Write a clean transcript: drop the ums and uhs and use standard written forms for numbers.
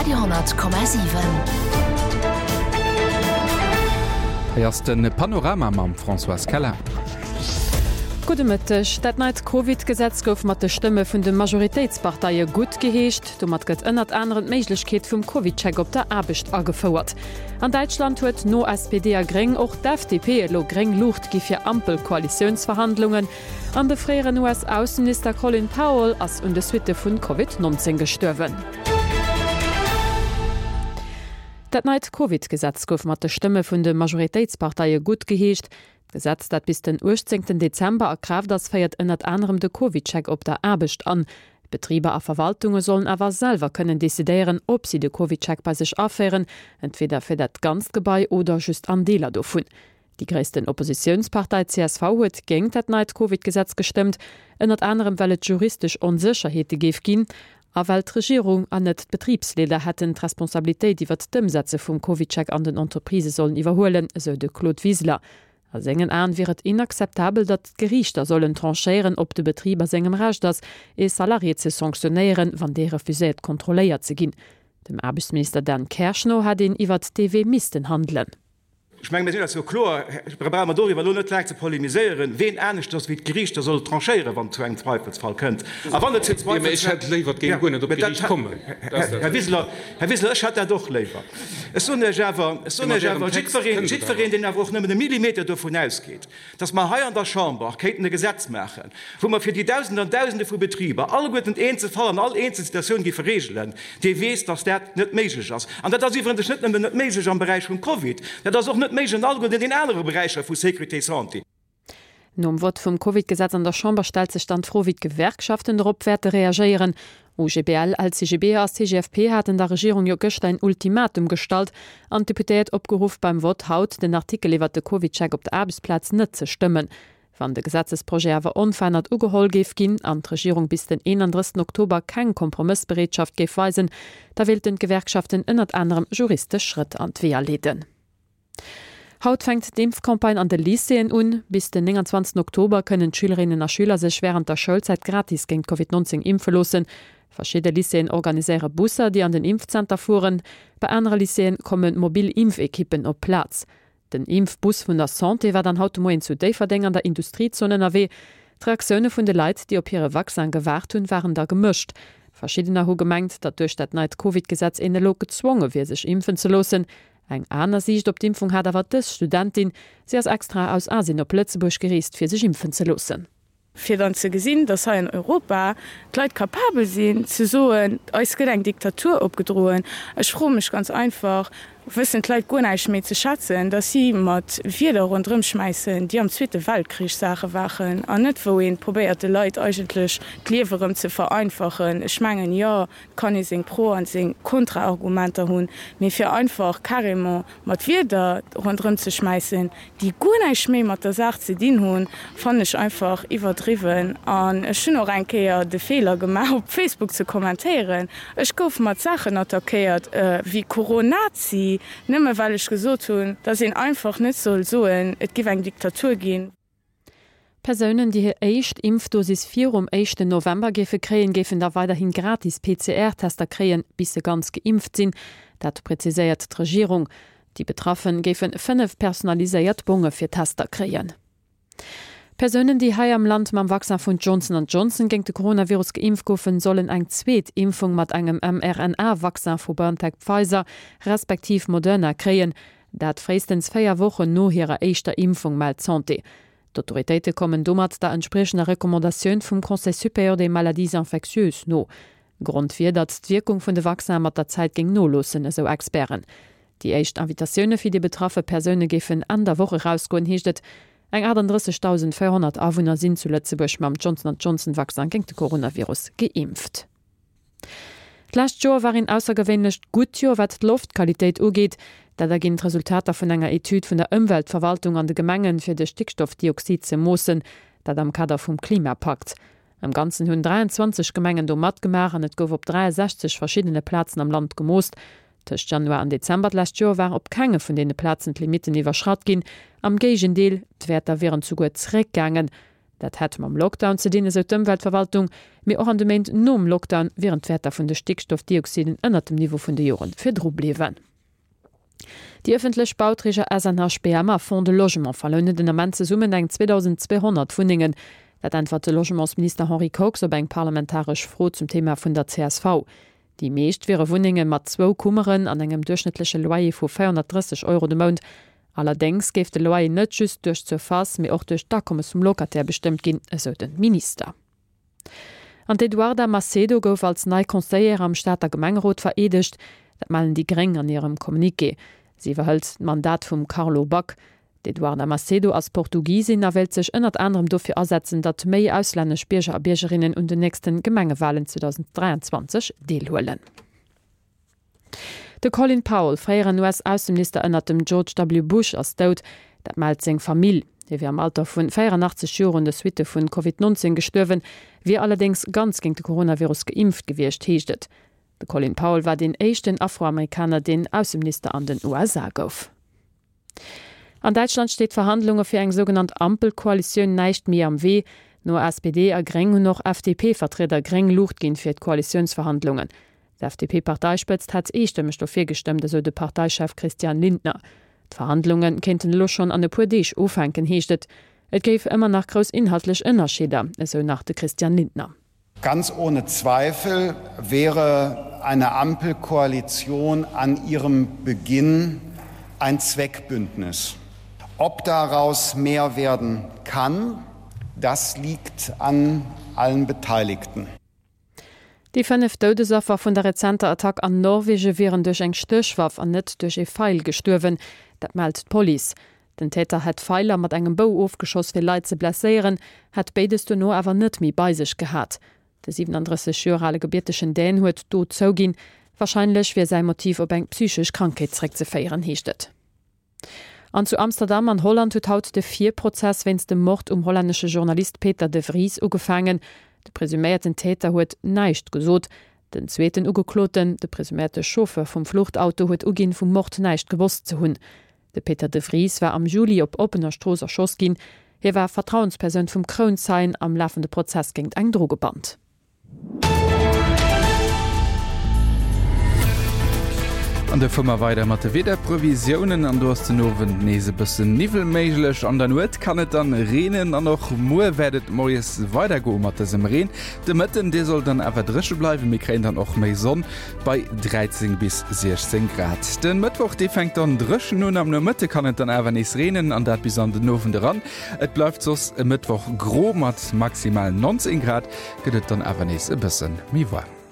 Radio 10,7. Hei ass de Panorama mam Françoise Keller. Gudde Mëtteg. Dat neit Covid-Gesetz gouf mat de Stëmme vun de Majoritéitsparteie guttgeheescht. Domat gëtt ënnert anerem d'Méiglechkeet vum CovidCheck op der Aarbecht agefouert. An Däitschland huet no SPD a Gréng och d'FDP elo gréng Luucht gi fir Ampel-Koalitiounsverhandlungen. An de fréieren US-Ausseminister Colin Powell ass un de Suitte vun Covid 19 gestuerwen. Dat neit Covid-Gesetz gouf mat de Stëmme vun de Majoritéitsparteie guttgeheescht. D'Gesetz, dat bis den 18 Dezember a Kraaft ass, féiert ënnert anerem de CovidCheck op der Aarbecht an. Betriber a Verwaltunge sollen awer selwer kënnen decidéieren, ob si de CovidCheck bei sech aféieren, entweder fir dat ganzt Gebai oder just an Deeler dovun. Déi gréissten Oppositiounspartei csv huet géingt dat neit Covid-Gesetz gestëmmt, ënnert anerem well et juristesch Onsécherheete géif ginn a well d'Regierung an net d'Betribsleeder hätten d'Responsabilitéit iwwert d'Ëmsetze vum CovidCheck an den Entreprisë sollen iwwerhuelen, esou de Claude Wiseler. A sengen Aen wier et inakzeptabel, datt d'Geriichter sollen tranchéieren, ob de Betrib a sengem Recht ass, ee Salarié ze sanktionéieren, wann dee refuséiert kontrolléiert ze ginn. Dem Aarbechtsminister Dan Kersch no hätt een iwwert dee Wee missten handelen. Ech mengen, mir sinn eis jo kloer, da brauche mer doriwwer elo net laang ze polemiséieren, ween aneschters wéi d'Geriichter soll tranchéieren, wann et zu engem Zweifelsfall kënnt. A wann et zu Jo, mä ech hätt léiwer, et géing guer net op d'Geriicht kommen. Här Wiseler, Här Wiseler, ech hätt dat och léiwer. Ech soen Iech awer, ech soen Iech awer, jiddwereen, jiddwereen, deen awer och nëmmen e Millimeter dovun ausgeet, dass mer hei an der Chamber kéinten e Gesetz maachen, wou mer fir déi Dausende an Dausende vu Betriber alleguerten eenzel Fall an all eenzel Situatioun géife regelen, dee weess, dass dat net méiglech ass. An dat ass iwwerens net nëmmen net méiglech am Beräich vum Covid, dat ass och net méiglech an alleguerten den anere Beräicher vu Sécurité santé. Nom Vott vum Covid-Gesetz an der Chamber stellt sech dann d'Fro, wéi d'Gewerkschaften dorop wäerte reagéieren. OGBL, LCGB a CGFP haten der Regierung jo gëschter een Ultimatum gestallt an d'Deputéiert opgeruff, beim Vott haut den Artikel iwwert de CovidCheck op der Aarbechtsplaz net ze stëmmen. Wann de Gesetzesprojet awer onverännert ugeholl géif ginn an d'Regierung bis den 31 Oktober keng Kompromëssbereetschaft géif weisen, da wéilten d'Gewerkschaften ënnert anerem juristesch Schrëtt an d'Weeër leeden. Haut fänkt d'Impfcampagne an de Lycéeën un. Bis den 29 Oktober kënnen d'Schülerinnen a Schüler sech wärend der Schoulzäit gratis géint Covid 19 impfe loossen. Verschidde Lycéeën organiséiere Busser, déi an den Impfzenter fueren. Bei anere Lycéeë komme mobil Impfekippen op d'Plaz. Den Impfbus vun der Santé war dann haut de Moien zu Déifferdeng an der Industriezon ënnerwee. D'Reaktioune vun de Leit, déi op hire Vaccin gewaart hunn, waren da gemëscht. Verschiddener hu gemengt, datt duerch dat neit Covid-Gesetz een elo gezwonge wier, sech impfen ze loossen. Eng aner Siicht op d'Impfung hat awer dës Studentin. Si ass extra aus Asien op Lëtzebuerg gereest, fir sech impfen ze loossen. Fir dann ze gesinn, dass hei an Europa d'Leit capabel sinn ze soen, eis gëtt eng Diktatur opgedroen. Ech froe mech ganz einfach, wëssen d'Leit guer näischt méi ze schätzen, dass si mat Wierder ronderëm schmäissen, déi am Zweete Weltkrich Saache waren an net wou ee probéiert de Leit eigentlech d'Liewe rëm ze vereinfachen. Ech mengen, jo, Et kann ee seng Pro an seng Kontra-Argumenter hunn, mee fir einfach carrément mat Wierder ronderëm ze schmäissen, déi guer näischt méi mat der Saach ze dinn hunn, fannen ech einfach iwwerdriwwen. An ech hunn och eng Kéier de Feeler gemaach, op Facebook ze kommentéieren. Ech gouf mat Saachen attackéiert wéi Coronazi, nëmme well ech gesot hunn, dass een einfach net soll soen, et giff eng Diktatur ginn. Persounen, déi hir éischt Impfdosis virum éischten November géife kréien, géifen da weiderhi gratis PCR-Tester kréien, bis se ganz geimpft sinn. Dat preziséiert d'Regierung. Déi Betraffen géife 5 personaliséiert Bonge fir Tester kréien. Persounen, déi hei am Land mam Vaccin vun Johnson an Johnson géint de Coronavirus geimpft goufen, sollen eng zweet Impfung mat engem mRNA-Vaccin vu BioNTech-Pfizer respektiv Moderna kréien. Dat fréistens 4 Wochen no hirer éischter Impfung, mellt d'Santé. D'Autoritéite kommen domat der entspriechender Recommandatioun vum Conseil supérieur des maladies infectieuses no. Grond wier, datt d'Wierkung vun de Vaccinen mat der Zäit géing noloossen, esou Experten. Déi éischt Invitatioune fir déi betraffe Persoune géifen Enn der Woch erausgoen, heescht et. Eng 38.400 Awunner sinn zu Lëtzebuerg mam Johnson Johnson Vaccin géint de Coronavirus geimpft. D'lescht Joer war een aussergewéinlecht gutt Joer wat d'Loftqualitéit ugeet. Dat erginn d'Resultater vun enger Etüd vun der Ëmweltverwaltung an de Gemengen, fir de Stickstoffdioxid ze moossen. Dat am Kader vum Klimapakt. Am Ganzen hunn 23 Gemengen do matgemaach an et gouf op 63 verschiddene Plazen am Land gemoost. Tëscht Januar an Dezember d'lescht Joer war op kenge vun deene Plazen d'Limitten iwwerschratt ginn. Am Géigendeel, d'Wäerter wieren zuguer zeréckgaangen. Dat hätt mam Lockdown ze dinn, esou d'Ëmweltverwaltung. Mee och an de Méint nom Lockdown wieren d'Wäerter vun de Stickstoffdioxiden ënnert dem Niveau vun de Jore virdru bliwwen. Déi ëffentlech Bauträger SNHBM a Fonds de Logement verlounen den Ament zesummen eng 2.200 Wunnengen. Dat äntwert de Logementsminister Henri Kox op eng parlamentaresch Fro zum Thema vun der csv. Déi meescht wiere Wunnenge mat zwou Kummeren an engem duerchschnëttleche Loyer vu 430 Euro de Mount. Allerdéngs géif de Loyer net just duerch d'Surface, mee och duerch d'Akommes vum Locataire bestëmmt ginn, esou de Minister. An d'Eduarda Macedo gouf als nei Conseillère am Stater Gemengerot vereedegt. Dat mellen déi Gréng an hirem Communiqué. Si iwwerhëlt d'Mandat vum Carlo Back. D'Eduarda Macedo ass Portugisin a wéilt sech ënnert anerem dofir asetzen, datt méi auslännesch Bierger a Biergerinnen un den nächste Gemengewalen 2023 deelhuelen. De Colin Powell, fréieren US-Ausseminister ënnert dem George W. Bush, ass dout. Dat mellt seng Famill. Hie wier am Alter vu 84 Joer un de Suitte vun Covid 19 gestuerwen, wier allerdéngs ganz géint de Coronavirus geimpft gewiescht, heescht et. De Colin Powell war deen éischten Afroamerikaner, deen Ausseminister an den USA gouf. An Däitschland steet Verhandlunge fir eng sougenannt Ampelkoalitioun näischt méi am Wee. No SPD a Gréng hunn och FDP-Vertrieder gréng Luucht ginn fir d'Koalitiounsverhandlungen. D'FDP-Parteispëtzt hätt eestëmmeg dofir gestëmmt, esou de Parteichef Christian Lindner. D'Verhandlunge kéinten elo schonn an e puer Deeg ufänken, heescht et. Et géif ëmmer nach grouss inhaltlech Ënnerscheeder, esou nach de Christian Lindner. Ganz ohne Zweifel wäre eine Ampelkoalition an ihrem Beginn ein Zweckbündnis. Ob daraus mehr werden kann, das liegt an allen Beteiligten. Déi 5 Doudesaffer vun der rezenter Attack an Norwege wieren duerch eng Stéchwaff an net duerch ee Feil gestuerwen. Dat mellt d'Police. Den Täter hätt Feiler mat engem Bou ofgeschoss fir Leit ze blesséieren, hätt béides dono awer net méi bei sech gehat. De 37 Joer ale gebiertegen Dän huet d'Dot zouginn. Warscheinlech wier säi Motiv op eng psychesch Krankheet zeréckzeféieren, heescht et. An zu Amsterdam an Holland huet haut de Virprozess wéinst dem Mord um hollännesche Journalist Peter de Vries ugefaangen. De presuméierten Täter huet näischt gesot. Den zweeten Ugekloten, de presuméierte Chauffeur vum Fluchtauto, huet uginn, vum Mord näischt gewosst ze hunn. De Peter de Vries war am Juli op oppener Strooss erschoss ginn. Hie war Vertrauenspersoun vum Krounzeien am lafende Prozess géingt eng Drogeband. An da fuere mer weider mat de Wiederprevisiounen an do ass den Owend nees e bëssen Niwwel méiglech. An der Nuet kann et dann reenen an och muer wäert et moies weidergoe mat dësem Reen. De Mëtten, dee soll dann awer dréche bleiwen, mir kréien dann och méi Sonn. Bei 13 bis 16 Grad. Den Mëttwoch dee fänkt dann dréchen un, am Nomëtte kann et dann awer nees reenen an dat bis an den Owend eran. Et bleift soss e Mëttwoch gro, mat maximal 19 Grad gëtt et dann awer nees e bësse méi waarm.